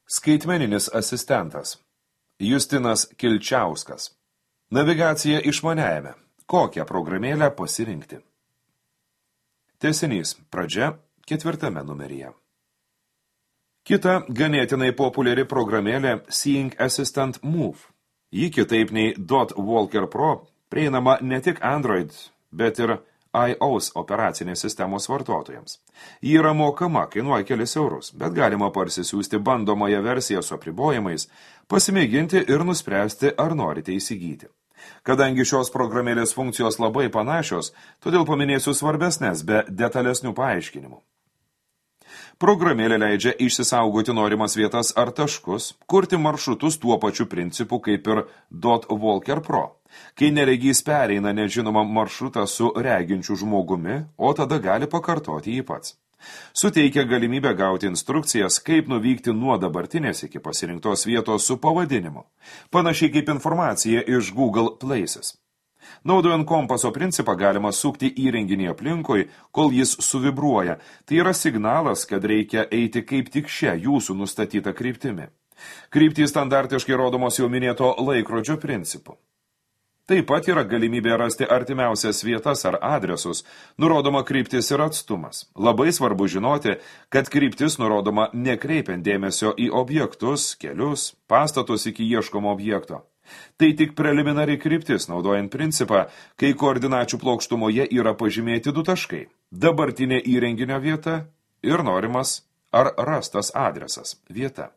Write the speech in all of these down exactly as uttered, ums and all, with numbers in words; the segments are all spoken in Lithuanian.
Skaitmeninis asistentas. Justinas Kilčiauskas. Navigacija išmaniajame. Kokią programėlę pasirinkti? Tęsinys. Pradžia ketvirtame numeryje. Kita ganėtinai populiari programėlė Seeing Assistant Move. Ji kitaip nei Dot Walker Pro prieinama ne tik Android, bet ir iOS operacinės sistemos vartotojams. Ji yra mokama, kainuoja kelis eurus, bet galima parsisiųsti bandomąją versiją su apribojimais, pasimėginti ir nuspręsti, ar norite įsigyti. Kadangi šios programėlės funkcijos labai panašios, todėl paminėsiu svarbesnės be detalesnių paaiškinimų. Programėlė leidžia išsisaugoti norimas vietas ar taškus, kurti maršrutus tuo pačiu principu kaip ir Dot Walker Pro, kai neregys pereina nežinomą maršrutą su reginčiu žmogumi, o tada gali pakartoti jį pats. Suteikia galimybę gauti instrukcijas, kaip nuvykti nuo dabartinės iki pasirinktos vietos su pavadinimu, panašiai kaip informacija iš Google Places. Naudojant kompaso principą galima sukti įrenginį aplinkui, kol jis suvibruoja. Tai yra signalas, kad reikia eiti kaip tik šią jūsų nustatytą kryptimi. Kryptys standartiškai rodomos jau minėto laikrodžio principu. Taip pat yra galimybė rasti artimiausias vietas ar adresus, nurodoma kryptis ir atstumas. Labai svarbu žinoti, kad kryptis nurodoma nekreipiant dėmesio į objektus, kelius, pastatus iki ieškomo objekto. Tai tik preliminari kryptis, naudojant principą, kai koordinačių plokštumoje yra pažymėti du taškai – dabartinė įrenginio vieta ir norimas ar rastas adresas – vieta.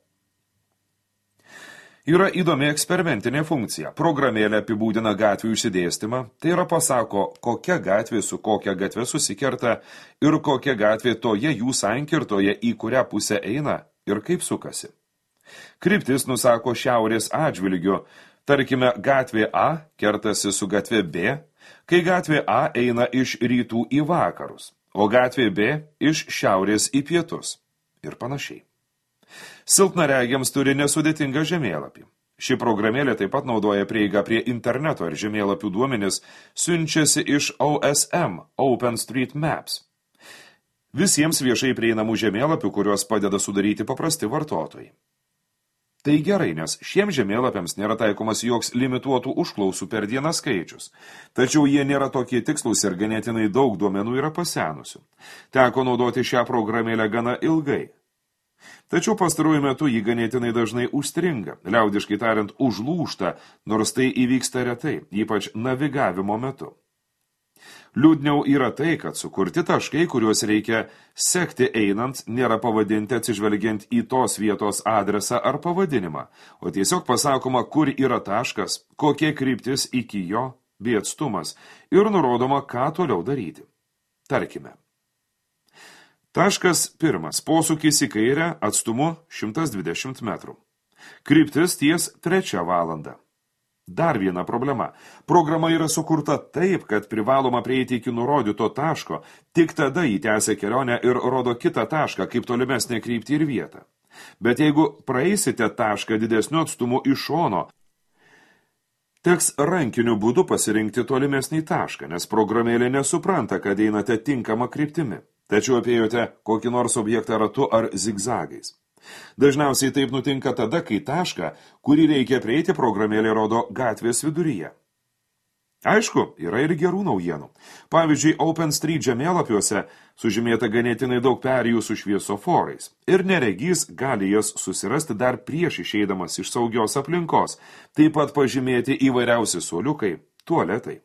Yra įdomi eksperimentinė funkcija. Programėlė apibūdina gatvių išsidėstymą, tai yra pasako, kokia gatvė su kokia gatve susikerta ir kokia gatvė toje jų sankirtoje, į kurią pusę eina ir kaip sukasi. Kryptis nusako šiaurės atžvilgiu. Tarkime, gatvė A kertasi su gatvė B, kai gatvė A eina iš rytų į vakarus, o gatvė B iš šiaurės į pietus ir panašiai. Silpnaregiams turi nesudėtingą žemėlapį. Ši programėlė taip pat naudoja prieigą prie interneto ir žemėlapių duomenis siunčiasi iš O S M, OpenStreetMaps. Visiems viešai prieinamų žemėlapių, kuriuos padeda sudaryti paprasti vartotojai. Tai gerai, nes šiems žemėlapiams nėra taikomas joks limituotų užklausų per dieną skaičius, tačiau jie nėra tokie tikslus ir ganėtinai daug duomenų yra pasenusių. Teko naudoti šią programėlę gana ilgai. Tačiau pastaruoju metu jį ganėtinai dažnai užstringa, liaudiškai tariant užlūžta, nors tai įvyksta retai, ypač navigavimo metu. Liūdniau yra tai, kad sukurti taškai, kuriuos reikia sekti einant, nėra pavadinti atsižvelgiant į tos vietos adresą ar pavadinimą, o tiesiog pasakoma, kur yra taškas, kokie kryptis iki jo, bei atstumas, ir nurodoma, ką toliau daryti. Tarkime. Taškas pirmas. Posūkis į kairę atstumu šimtas dvidešimt metrų. Kryptis ties trečią valandą. Dar viena problema. Programa yra sukurta taip, kad privaloma prieiti iki nurodyto taško, tik tada jį tęsia kelionę ir rodo kitą tašką, kaip tolimesnė kryptį ir vietą. Bet jeigu praeisite tašką didesniu atstumu iš šono, teks rankiniu būdu pasirinkti tolimesnį tašką, nes programėlė nesupranta, kad einate tinkamą kryptimi. Tačiau apėjote kokį nors objektą ratu ar zigzagais. Dažniausiai taip nutinka tada, kai tašką, kurį reikia prieiti, programėlė rodo gatvės viduryje. Aišku, yra ir gerų naujienų. Pavyzdžiui, OpenStreet žemėlapiuose sužymėta ganėtinai daug perėjų su šviesoforais ir neregys gali jas susirasti dar prieš išeidamas iš saugios aplinkos, taip pat pažymėti įvairiausi suoliukai, tualetai.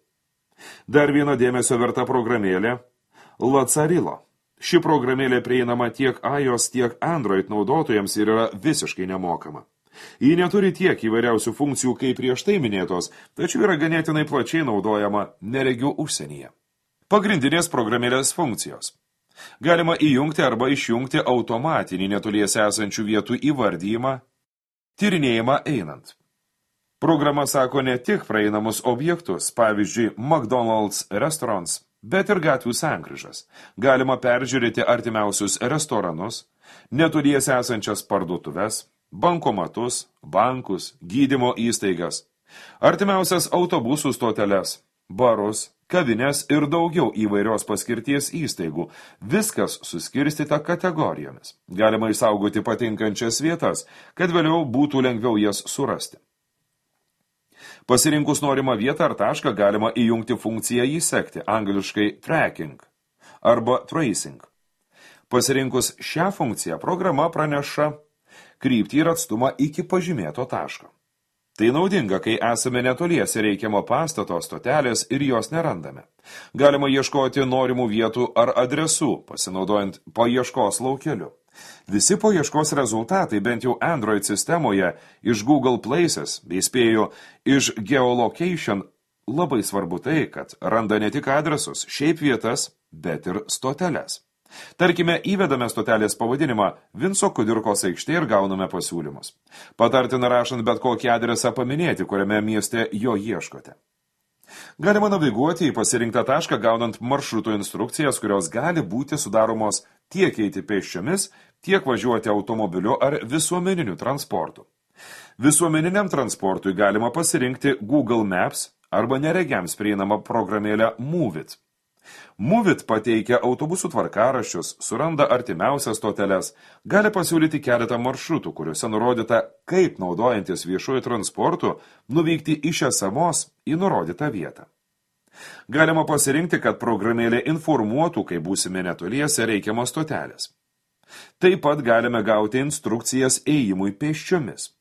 Dar viena dėmesio verta programėlė – Lazarilo. Ši programėlė prieinama tiek iOS, tiek Android naudotojams ir yra visiškai nemokama. Ji neturi tiek įvairiausių funkcijų kaip prieš tai minėtos, tačiau yra ganėtinai plačiai naudojama neregių užsienyje. Pagrindinės programėlės funkcijos. Galima įjungti arba išjungti automatinį netoliese esančių vietų įvardyjimą, tyrinėjimą einant. Programa sako ne tik praeinamus objektus, pavyzdžiui, McDonald's restaurants, bet ir gatvių sankryžas. Galima peržiūrėti artimiausius restoranus, netoliese esančias parduotuves, bankomatus, bankus, gydymo įstaigas, artimiausias autobusų stoteles, barus, kavinės ir daugiau įvairios paskirties įstaigų. Viskas suskirstyta kategorijomis. Galima išsaugoti patinkančias vietas, kad vėliau būtų lengviau jas surasti. Pasirinkus norimą vietą ar tašką galima įjungti funkciją įsekti, angliškai tracking arba tracing. Pasirinkus šią funkciją, programa praneša kryptį ir atstumą iki pažymėto taško. Tai naudinga, kai esame netoliese reikiamo pastato, stotelės ir jos nerandame. Galima ieškoti norimų vietų ar adresų, pasinaudojant paieškos laukeliu. Visi paieškos rezultatai, bent jau Android sistemoje, iš Google Places, bei spėju iš Geolocation, labai svarbu tai, kad randa ne tik adresus, šiaip vietas, bet ir stoteles. Tarkime, įvedame stotelės pavadinimą Vinco Kudirkos aikštė ir gauname pasiūlymus. Patartina rašant bet kokį adresą paminėti, kuriame mieste jo ieškote. Galima naviguoti į pasirinktą tašką, gaunant maršrutų instrukcijas, kurios gali būti sudaromos tiek eiti pėsčiomis, tiek važiuoti automobiliu ar visuomeniniu transportu. Visuomeniniam transportui galima pasirinkti Google Maps arba neregiams prieinamą programėlę Moveit. Moveit pateikia autobusų tvarkaraščius, suranda artimiausias stoteles, gali pasiūlyti keletą maršrutų, kuriuose nurodyta, kaip naudojantis viešuoju transportu nuvykti iš esamos į nurodytą vietą. Galima pasirinkti, kad programėlė informuotų, kai būsime netoliese reikiamos stotelės. Taip pat galime gauti instrukcijas ėjimui pėsčiomis.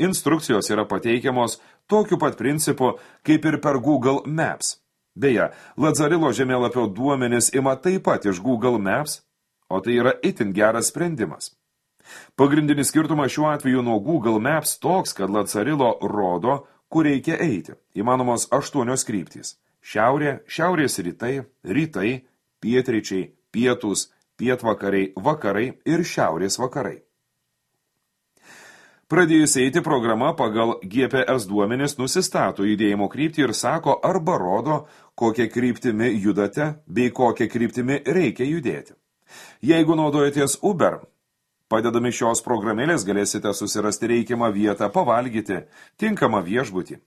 Instrukcijos yra pateikiamos tokiu pat principu, kaip ir per Google Maps. Beje, Lazarilo žemėlapio duomenis ima taip pat iš Google Maps, o tai yra itin geras sprendimas. Pagrindinis skirtumas šiuo atveju nuo Google Maps toks, kad Lazarilo rodo, kur reikia eiti. Įmanomos aštuonios kryptys. Šiaurė, šiaurės rytai, rytai, pietryčiai, pietus, pietvakariai, vakarai ir šiaurės vakarai. Pradėjus eiti, programa pagal G P S duomenis nusistato judėjimo kryptį ir sako arba rodo, kokią kryptimi judate bei kokią kryptimi reikia judėti. Jeigu naudojatės Uber, padedami šios programėlės galėsite susirasti reikiamą vietą, pavalgyti, tinkamą viešbutį.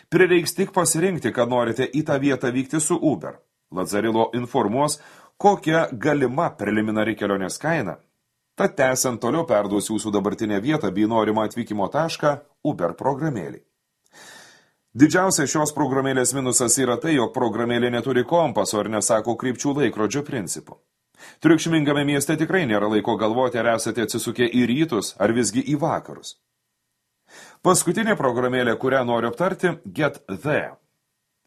Prireiks tik pasirinkti, kad norite į tą vietą vykti su Uber. Lazarilo informuos, kokia galima preliminari kelionės kaina. Tad tęsiant toliau perduos jūsų dabartinę vietą bei norimą atvykimo tašką Uber programėlį. Didžiausia šios programėlės minusas yra tai, jog programėlė neturi kompaso ir nesako krypčių laikrodžio principų. Triukšmingame mieste tikrai nėra laiko galvoti, ar esate atsisukę į rytus ar visgi į vakarus. Paskutinė programėlė, kurią noriu aptarti, Get There.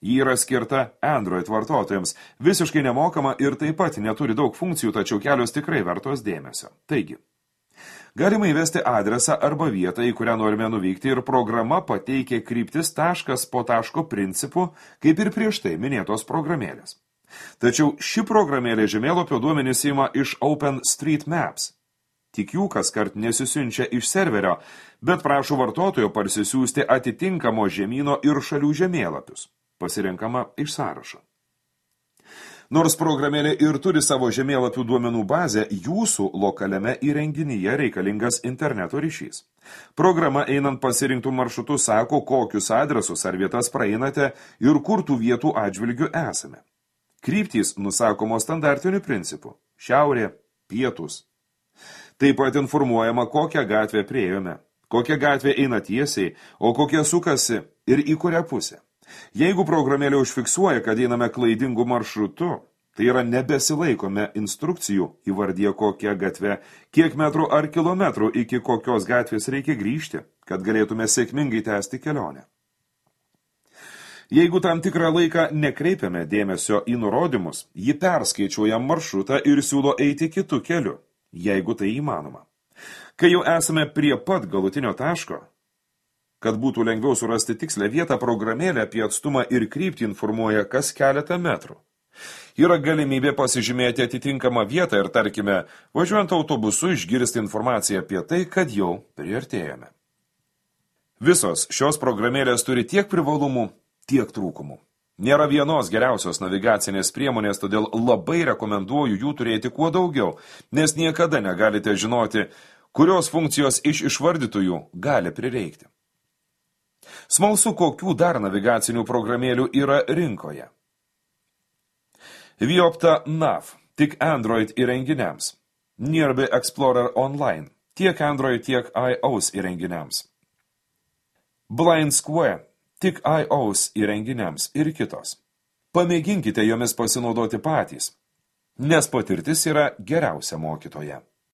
Ji yra skirta Android vartotojams, visiškai nemokama ir taip pat neturi daug funkcijų, tačiau kelios tikrai vertos dėmesio. Taigi, galima įvesti adresą arba vietą, į kurią norime nuvykti ir programa pateikia kryptis taškas po taško principu, kaip ir prieš tai minėtos programėlės. Tačiau ši programėlė žemėlapio duomenis ima iš OpenStreetMaps. Tik jų kaskart nesisiunčia iš serverio, bet prašo vartotojo parsisiųsti atitinkamo žemyno ir šalių žemėlapius. Pasirenkama iš sąrašo. Nors programėlė ir turi savo žemėlapių duomenų bazę, jūsų lokaliame įrenginyje reikalingas interneto ryšys. Programa einant pasirinktų maršrutų sako, kokius adresus ar vietas praeinate ir kur tų vietų atžvilgių esame. Kryptys nusakomos standartiniu principu – šiaurė, pietus. Taip pat informuojama, kokią gatvę priėjome, kokia gatvė eina tiesiai, o kokia sukasi ir į kurią pusę. Jeigu programėlė užfiksuoja, kad einame klaidingu maršrutu, tai yra nebesilaikome instrukcijų, įvardyje kokią gatvę, kiek metrų ar kilometrų iki kokios gatvės reikia grįžti, kad galėtume sėkmingai tęsti kelionę. Jeigu tam tikrą laiką nekreipiame dėmesio į nurodymus, ji perskaičiuoja maršrutą ir siūlo eiti kitu keliu, jeigu tai įmanoma. Kai jau esame prie pat galutinio taško, kad būtų lengviau surasti tikslę vietą, programėlė apie atstumą ir kryptį informuoja kas keletą metrų. Yra galimybė pasižymėti atitinkamą vietą ir, tarkime, važiuojant autobusu išgirsti informaciją apie tai, kad jau priartėjome. Visos šios programėlės turi tiek privalumų, tiek trūkumų. Nėra vienos geriausios navigacinės priemonės, todėl labai rekomenduoju jų turėti kuo daugiau, nes niekada negalite žinoti, kurios funkcijos iš išvardytųjų gali prireikti. Smalsu, kokių dar navigacinių programėlių yra rinkoje. Viopta Nav tik Android įrenginiams. Nearby Explorer Online tiek Android, tiek iOS įrenginiams. Blind Square tik iOS įrenginiams ir kitos. Pamėginkite jomis pasinaudoti patys, nes patirtis yra geriausia mokytoja.